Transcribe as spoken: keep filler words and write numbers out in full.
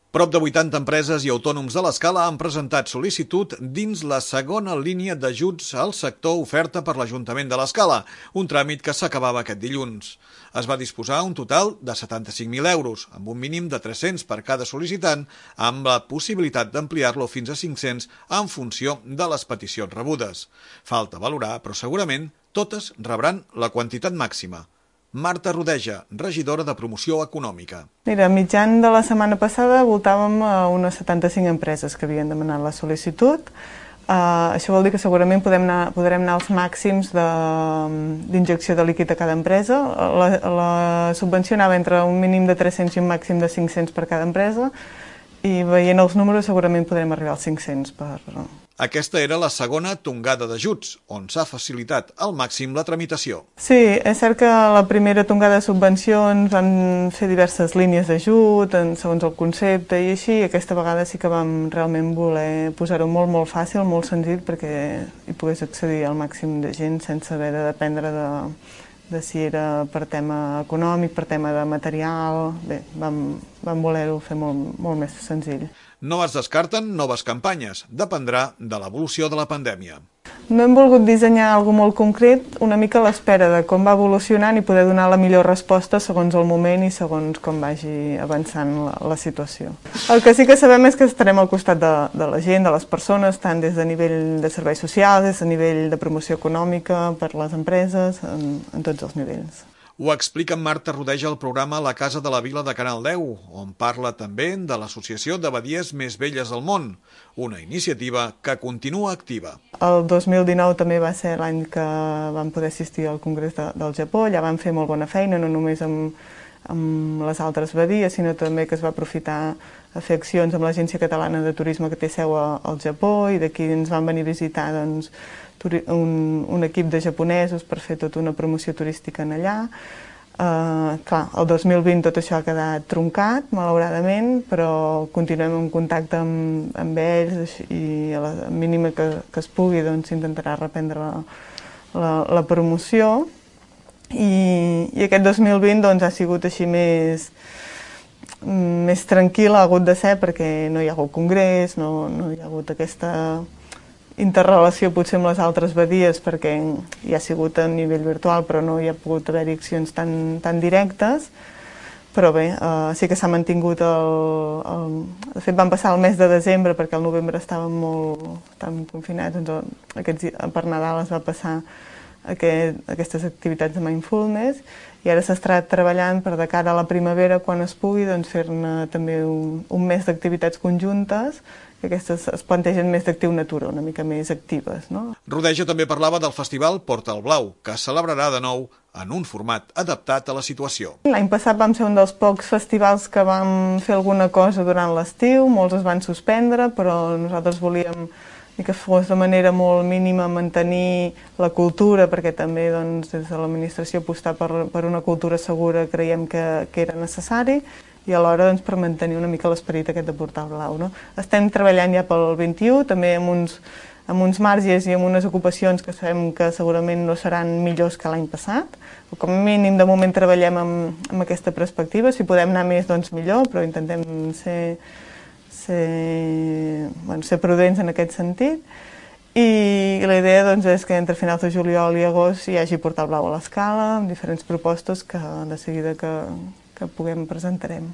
Prop de vuitanta empreses i autònoms de l'Escala han presentat sol·licitud dins la segona línia d'ajuts al sector oferta per l'Ajuntament de l'Escala, un tràmit que s'acabava aquest dilluns. Es va disposar un total de setanta-cinc mil euros, amb un mínim de tres-cents per cada sol·licitant, amb la possibilitat d'ampliar-lo fins a cinc-cents en funció de les peticions rebudes. Falta valorar, però segurament totes rebran la quantitat màxima. Marta Rodeja, regidora de Promoció Econòmica. Mira, mitjan de la setmana passada voltàvem a unes setanta-cinc empreses que havien demanat la sol·licitud. Uh, això vol dir que segurament podem anar, podrem anar als màxims d'injecció de, de líquid a cada empresa. La, la subvenció anava entre un mínim de tres-cents i un màxim de cinc-cents per cada empresa i veient els números segurament podrem arribar als cinc-cents per... Aquesta era la segona tongada d'ajuts, on s'ha facilitat al màxim la tramitació. Sí, és cert que la primera tongada de subvencions vam fer diverses línies d'ajut, segons el concepte i així, i aquesta vegada sí que vam realment voler posar-ho molt, molt fàcil, molt senzill, perquè hi pogués accedir al màxim de gent sense haver de dependre de, de si era per tema econòmic, per tema de material. Bé, vam, vam voler-ho fer molt, molt més senzill. No es descarten noves campanyes, dependrà de l'evolució de la pandèmia. No hem volgut dissenyar alguna molt concret, una mica a l'espera de com va evolucionant i poder donar la millor resposta segons el moment i segons com vagi avançant la, la situació. El que sí que sabem és que estarem al costat de, de la gent, de les persones, tant des de nivell de serveis socials, des de nivell de promoció econòmica per les empreses, en, en tots els nivells. Ho explica Marta Rodeja al programa La Casa de la Vila de Canal deu, on parla també de l'Associació de Badies Més Velles del Món, una iniciativa que continua activa. El dos mil dinou també va ser l'any que vam poder assistir al Congrés de, del Japó, allà vam fer molt bona feina, no només amb, amb les altres badies, sinó també que es va aprofitar a fer accions amb l'Agència Catalana de Turisme que té seu al Japó, i d'aquí ens van venir a visitar doncs, un, un equip de japonesos per fer tota una promoció turística en allà. Uh, clar, el dos mil vint tot això ha quedat truncat, malauradament, però continuem en contacte amb, amb ells i a la mínima que, que es pugui doncs, intentarà reprendre la, la, la promoció. I, i aquest dos mil vint doncs, ha sigut així més, més tranquil, ha hagut de ser perquè no hi ha hagut congrés, no, no hi ha hagut aquesta interrelació potser amb les altres badies perquè hi ha sigut a nivell virtual però no hi ha pogut haver accions tan, tan directes, però bé, eh, sí que s'ha mantingut el, el... De fet vam passar el mes de desembre perquè al novembre estàvem molt estàvem confinats, doncs aquests, per Nadal es va passar aquest, aquestes activitats de mindfulness i ara s'està treballant per de cara a la primavera quan es pugui doncs, fer-ne també un, un mes d'activitats conjuntes que aquestes es plantegen més d'actiu natura, una mica més actives. No? Rodeja també parlava del festival Porta el Blau, que es celebrarà de nou en un format adaptat a la situació. L'any passat vam ser un dels pocs festivals que vam fer alguna cosa durant l'estiu, molts es van suspendre, però nosaltres volíem que fos de manera molt mínima mantenir la cultura, perquè també doncs, des de l'administració apostar per, per una cultura segura creiem que, que era necessari, i alhora doncs, per mantenir una mica l'esperit aquest de Portar el Blau. No? Estem treballant ja pel vint-i-u, també amb uns, amb uns marges i amb unes ocupacions que sabem que segurament no seran millors que l'any passat. Com a mínim, de moment treballem amb, amb aquesta perspectiva. Si podem anar més, doncs millor, però intentem ser, ser, bueno, ser prudents en aquest sentit. I la idea doncs, és que entre finals de juliol i agost hi hagi Portar el Blau a l'Escala, amb diferents propostes que de seguida que, que puguem presentarem.